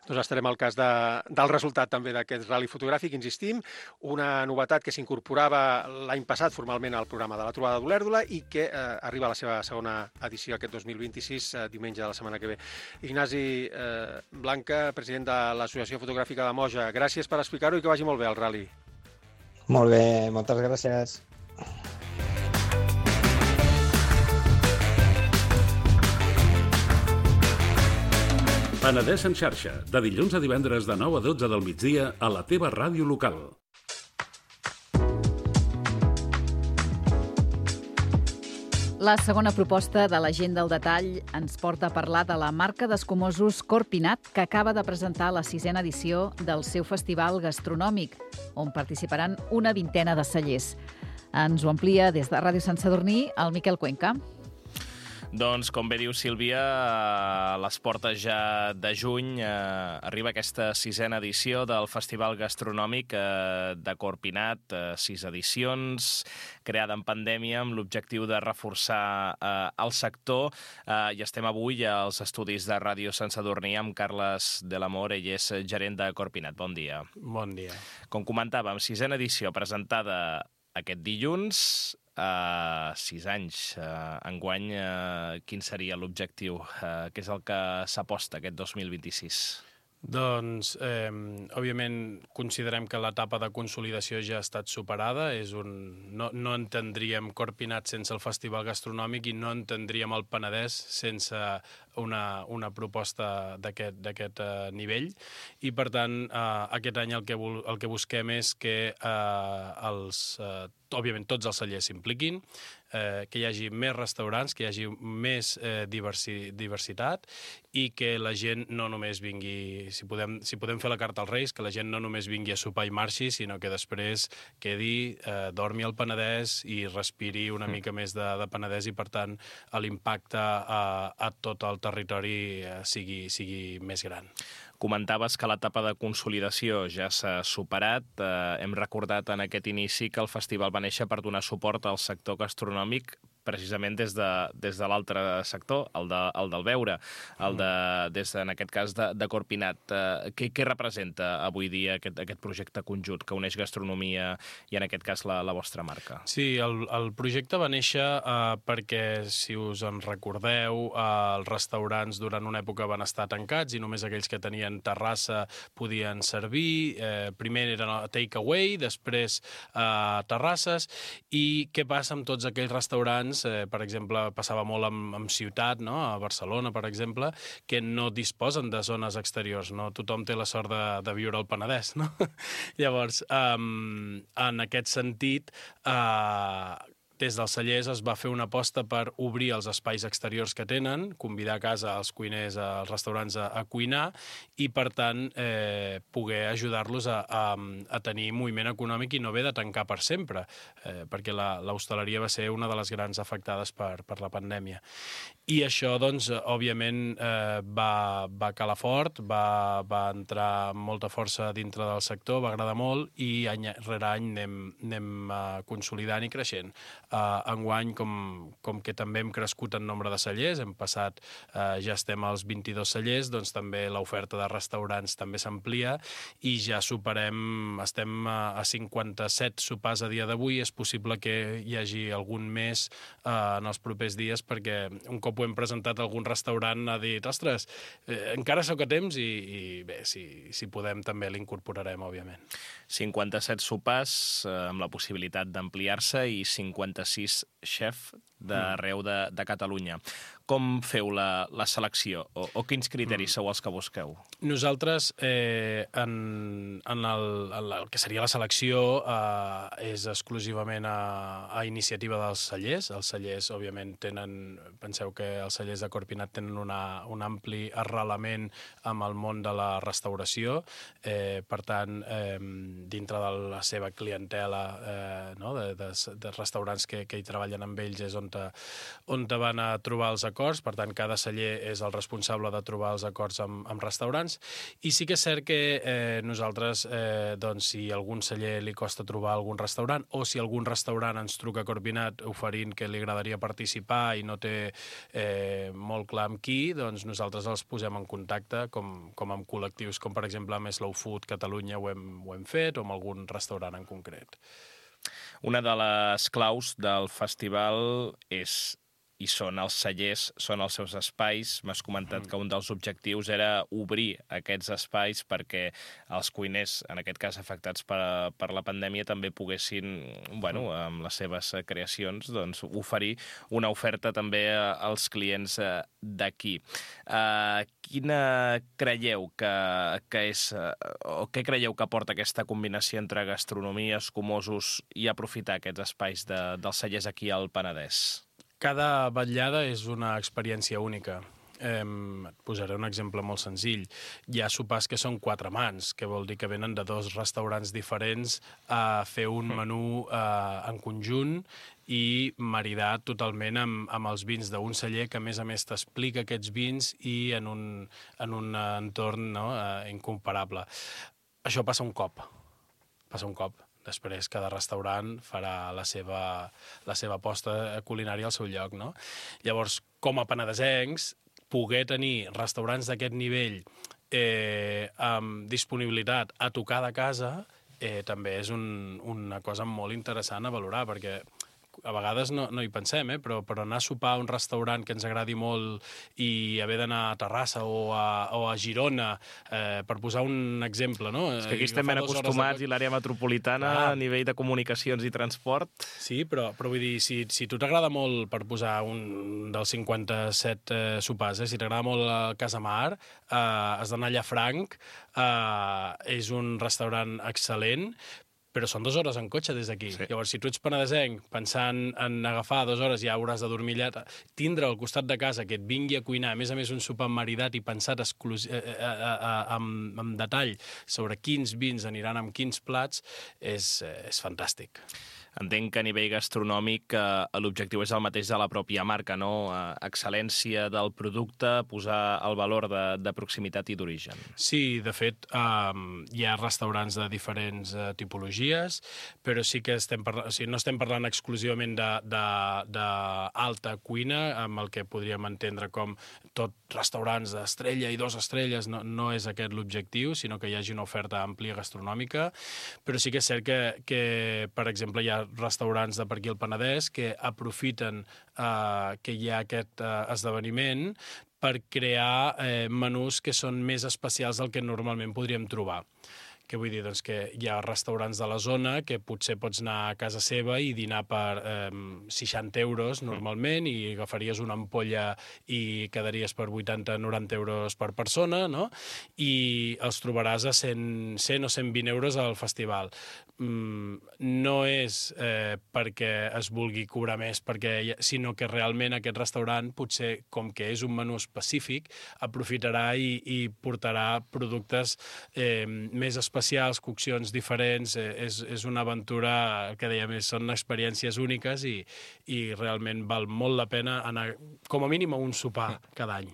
Doncs estarem al cas de, del resultat també d'aquest rally fotogràfic, insistim, una novetat que s'incorporava l'any passat formalment al programa de la Trobada d'Olèrdola i que eh, arriba a la seva segona edició aquest dos mil vint-i-sis, eh, diumenge de la setmana que ve. Ignasi eh, Blanca, president de l'Associació Fotogràfica de Moja, gràcies per explicar-ho i que vagi molt bé el rally. Molt bé, moltes gràcies. Penedès en xarxa, de dilluns a divendres de nou a dotze del migdia a la teva ràdio local. La segona proposta de la gent del detall ens porta a parlar de la marca d'escumosos Corpinat, que acaba de presentar la sisena edició del seu festival gastronòmic, on participaran una vintena de cellers. Ens ho amplia des de Ràdio Sant Sadurní el Miquel Cuenca. Doncs, com bé diu Sílvia, a les portes ja de juny eh, arriba aquesta sisena edició del Festival Gastronòmic eh, de Corpinat, eh, sis edicions, creada en pandèmia amb l'objectiu de reforçar eh, el sector. Eh, I estem avui als estudis de Ràdio Sant Sadurní amb Carles de l'Amor, ell és gerent de Corpinat. Bon dia. Bon dia. Com comentàvem, sisena edició presentada aquest dilluns, Uh, sis anys. Uh, enguany, uh, quin seria l'objectiu? Uh, què és el que s'aposta aquest dos mil vint-i-sis? Doncs, eh, òbviament, considerem que l'etapa de consolidació ja ha estat superada. És un... no, no entendríem Corpinat sense el Festival Gastronòmic i no entendríem el Penedès sense una, una proposta d'aquest d'aquest eh, nivell. I, per tant, eh, aquest any el que, el que busquem és que eh, els, eh, òbviament tots els cellers s'impliquin, eh, que hi hagi més restaurants, que hi hagi més eh, diversi, diversitat i que la gent no només vingui, si podem, si podem fer la carta als Reis, que la gent no només vingui a sopar i marxi, sinó que després quedi, eh, dormi al Penedès i respiri una mica més de, de Penedès i, per tant, l'impacte a, a tot el territori eh, sigui, sigui més gran. Comentaves que l'etapa de consolidació ja s'ha superat. Eh, hem recordat en aquest inici que el festival va néixer per donar suport al sector gastronòmic precisament des de, des de l'altre sector, el, de, el del beure, el de, des de, en aquest cas de, de Corpinat. Eh, què, què representa avui dia aquest, aquest projecte conjunt que uneix gastronomia i en aquest cas la, la vostra marca? Sí, el, el projecte va néixer eh, perquè, si us en recordeu, eh, els restaurants durant una època van estar tancats i només aquells que tenien terrassa podien servir. Eh, primer era take away, després eh, terrasses. I què passa amb tots aquells restaurants? Eh, per exemple, passava molt amb, amb ciutat, no? A Barcelona, per exemple, que no disposen de zones exteriors. No tothom té la sort de, de viure al Penedès, no? Llavors, um, en aquest sentit, uh, des dels cellers es va fer una aposta per obrir els espais exteriors que tenen, convidar a casa els cuiners, als restaurants a, a cuinar i, per tant, eh, poder ajudar-los a, a, a tenir moviment econòmic i no haver de tancar per sempre, eh, perquè l'hostaleria va ser una de les grans afectades per, per la pandèmia. I això, doncs, òbviament, eh, va, va calar fort, va, va entrar amb molta força dintre del sector, va agradar molt i any rere any anem, anem uh, consolidant i creixent. Uh, enguany, com, com que també hem crescut en nombre de cellers, hem passat, uh, ja estem als vint-i-dos cellers, doncs també l'oferta de restaurants també s'amplia i ja superem, estem a, a cinquanta-set sopars a dia d'avui. És possible que hi hagi algun més uh, en els propers dies, perquè un cop ho hem presentat a algun restaurant ha dit, ostres, eh, encara sóc a temps i, i bé, si, si podem també l'incorporarem, òbviament. cinquanta-set sopars eh, amb la possibilitat d'ampliar-se i cinquanta-sis xef d'arreu de, de Catalunya. Com feu la, la selecció o, o quins criteris sou els que busqueu? Nosaltres, eh, en, en, el, en el que seria la selecció, eh, és exclusivament a, a iniciativa dels cellers. Els cellers, òbviament, tenen, penseu que els cellers de Corpinat tenen una, un ampli arrelament amb el món de la restauració. Eh, per tant, eh, dintre de la seva clientela, eh, no, de, de, de restaurants restaurants que, que hi treballen amb ells és on te, on te van a trobar els acords, per tant, cada celler és el responsable de trobar els acords amb, amb restaurants, i sí que és cert que eh, nosaltres, eh, doncs, si a algun celler li costa trobar algun restaurant, o si algun restaurant ens truca Corpinat oferint que li agradaria participar i no té eh, molt clar amb qui, doncs nosaltres els posem en contacte, com, com amb col·lectius, com per exemple amb Slow Food Catalunya ho hem, ho hem fet, o amb algun restaurant en concret. Una de les claus del festival és i són els cellers, són els seus espais. M'has comentat que un dels objectius era obrir aquests espais perquè els cuiners, en aquest cas afectats per, per la pandèmia, també poguessin, bueno, amb les seves creacions, doncs, oferir una oferta també als clients d'aquí. Uh, quina creieu que, que és, o què creieu que aporta aquesta combinació entre gastronomia, escumosos i aprofitar aquests espais de, dels cellers aquí al Penedès? Cada vetllada és una experiència única. Eh, et posaré un exemple molt senzill. Hi ha sopars que són quatre mans, que vol dir que venen de dos restaurants diferents a fer un menú eh, en conjunt i maridat totalment amb, amb els vins d'un celler que, a més a més, t'explica aquests vins i en un, en un entorn, no, eh, incomparable. Això passa un cop. Passa un cop. Després cada restaurant farà la seva, la seva aposta culinària al seu lloc, no? Llavors, com a penedesencs, poder tenir restaurants d'aquest nivell eh, amb disponibilitat a tocar de casa eh, també és un, una cosa molt interessant a valorar, perquè a vegades no, no hi pensem, eh? però, però anar a sopar a un restaurant que ens agradi molt i haver d'anar a Terrassa o a, o a Girona, eh, per posar un exemple, no? És que aquí estem ben acostumats de... i l'àrea metropolitana ah. a nivell de comunicacions i transport. Sí, però, però vull dir, si, si tu t'agrada molt, per posar un dels cinquanta-set eh, sopars, eh? si t'agrada molt el Casamar, eh, has d'anar a Llafranc, eh, és un restaurant excel·lent, però són dues hores en cotxe des d'aquí. Sí. Llavors, si tu ets penedesenc, pensant en agafar dues hores, ja hauràs de dormir allà, tindre al costat de casa que et vingui a cuinar, a més a més un sopar maridat i pensat exclus... eh, eh, eh, amb, amb detall sobre quins vins aniran amb quins plats, és, eh, és fantàstic. Entenc que a nivell gastronòmic eh, l'objectiu és el mateix de la pròpia marca, no? Eh, excel·lència del producte, posar el valor de, de proximitat i d'origen. Sí, de fet, eh, hi ha restaurants de diferents eh, tipologies, però sí que estem parlant, o sigui, no estem parlant exclusivament d'alta cuina, amb el que podríem entendre com tot restaurants d'estrella i dos estrelles, no, no és aquest l'objectiu, sinó que hi hagi una oferta àmplia gastronòmica, però sí que és cert que, que per exemple, hi ha restaurants de per aquí al Penedès que aprofiten eh, que hi ha aquest eh, esdeveniment per crear eh, menús que són més especials del que normalment podríem trobar. Què vull dir? Doncs que hi ha restaurants de la zona que potser pots anar a casa seva i dinar per eh, seixanta euros normalment i agafaries una ampolla i quedaries per vuitanta a noranta euros per persona, no? I els trobaràs a cent, cent o cent vint euros al festival. Mm, no és eh, perquè es vulgui cobrar més, perquè, sinó que realment aquest restaurant, potser com que és un menú específic, aprofitarà i, i portarà productes eh, més específics especials, coccions diferents, eh, és, és una aventura que dèiem, són experiències úniques i, i realment val molt la pena anar com a mínim a un sopar cada any.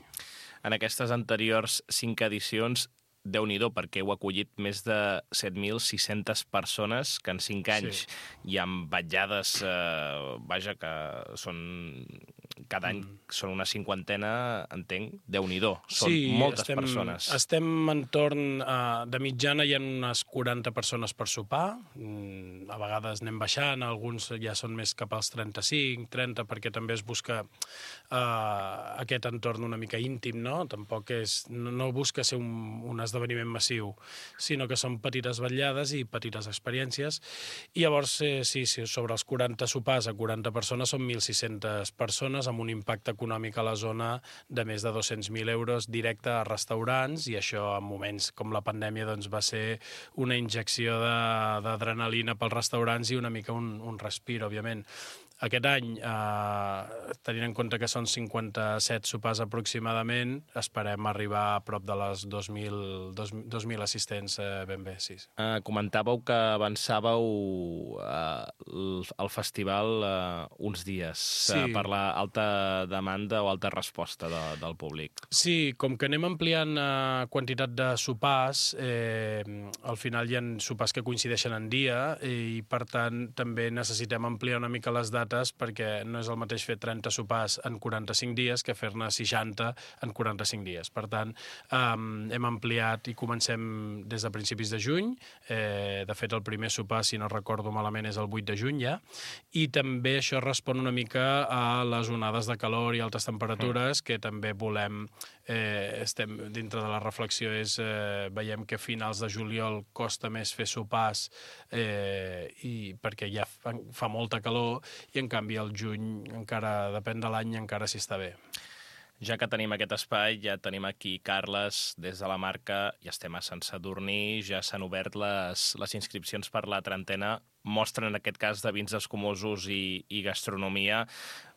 En aquestes anteriors cinc edicions, Déu-n'hi-do, perquè heu acollit més de set mil sis-centes persones que en cinc anys sí. hi ha vetllades, eh, vaja, que són cada any mm. són una cinquantena, entenc, Déu-n'hi-do, són sí, moltes estem, persones. Estem entorn, uh, de mitjana hi ha unes quaranta persones per sopar, mm, a vegades anem baixant, alguns ja són més cap als trenta-cinc, trenta, perquè també es busca uh, aquest entorn una mica íntim, no? Tampoc és, no, no busca ser un, un esdeveniment massiu, sinó que són petites vetllades i petites experiències, i llavors, eh, sí, sí, sobre els quaranta sopars a quaranta persones són mil sis-centes persones, amb un impacte econòmic a la zona de més de dos-cents mil euros directe a restaurants, i això en moments com la pandèmia doncs, va ser una injecció d'adrenalina pels restaurants i una mica un, un respir, òbviament. Aquest any, eh, tenint en compte que són cinquanta-set sopars aproximadament, esperem arribar a prop de les dos mil assistents eh, ben bé, sí. Uh, comentàveu que avançàveu uh, el, el festival uh, uns dies sí. uh, per la alta demanda o alta resposta de, del públic. Sí, com que anem ampliant uh, quantitat de sopars, eh, al final hi ha sopars que coincideixen en dia i, per tant, també necessitem ampliar una mica les dates perquè no és el mateix fer trenta sopars en quaranta-cinc dies que fer-ne seixanta en quaranta-cinc dies. Per tant, um, hem ampliat i comencem des de principis de juny. Eh, de fet, el primer sopar, si no recordo malament, és el vuit de juny ja. I també això respon una mica a les onades de calor i altes temperatures que també volem, eh, estem dintre de la reflexió, és, eh, veiem que a finals de juliol costa més fer sopars eh, i perquè ja fa, fa molta calor i en canvi al juny encara, depèn de l'any, encara s'hi està bé. Ja que tenim aquest espai, ja tenim aquí Carles des de la marca, ja estem a Sant Sadurní, ja s'han obert les, les inscripcions per la trentena, mostren en aquest cas de vins escumosos i, i gastronomia,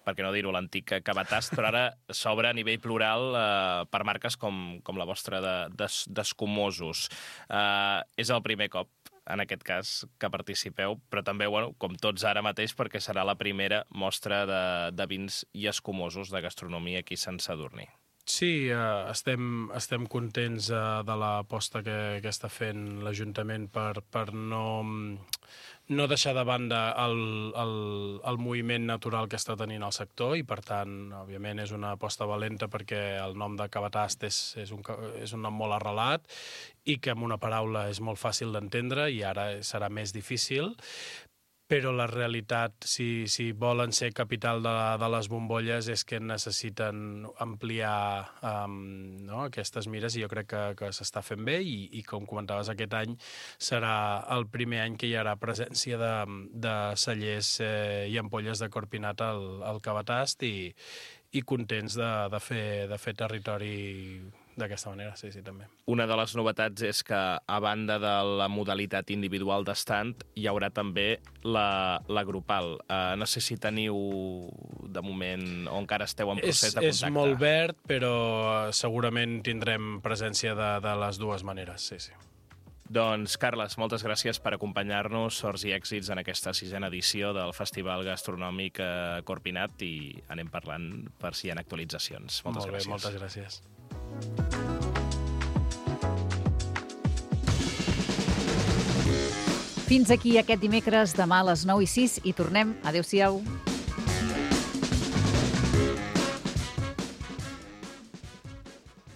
per què no dir-ho, l'antic Cabatast, però ara s'obre a nivell plural eh, per marques com, com la vostra d'escumosos. De, eh, és el primer cop, en aquest cas, que participeu, però també, bueno, com tots ara mateix, perquè serà la primera mostra de, de vins i escumosos de gastronomia aquí a Sant Sadurní. Sí, eh, estem, estem contents eh, de l'aposta que, que està fent l'Ajuntament per, per no, no deixar de banda el, el, el moviment natural que està tenint el sector i, per tant, òbviament, és una aposta valenta perquè el nom de Cabatast és, és, un, és un nom molt arrelat i que amb una paraula és molt fàcil d'entendre i ara serà més difícil. Però la realitat, si, si volen ser capital de, de les bombolles, és que necessiten ampliar um, no, aquestes mires i jo crec que, que s'està fent bé i, i, com comentaves, aquest any serà el primer any que hi haurà presència de, de cellers eh, i ampolles de Corpinat al, al Cabatast i, i contents de, de, fer, de fer territori d'aquesta manera, sí, sí, també. Una de les novetats és que, a banda de la modalitat individual d'estand, hi haurà també la, la grupal. Uh, no sé si teniu, de moment, o encara esteu en procés és, de contacte. És molt verd, però segurament tindrem presència de, de les dues maneres, sí, sí. Doncs, Carles, moltes gràcies per acompanyar-nos. Sorts i èxits en aquesta sisena edició del Festival Gastronòmic Corpinat i anem parlant per si hi ha actualitzacions. Moltes Molt bé, gràcies. moltes gràcies. Fins aquí aquest dimecres, demà a les nou i sis i tornem. Adéu-siau.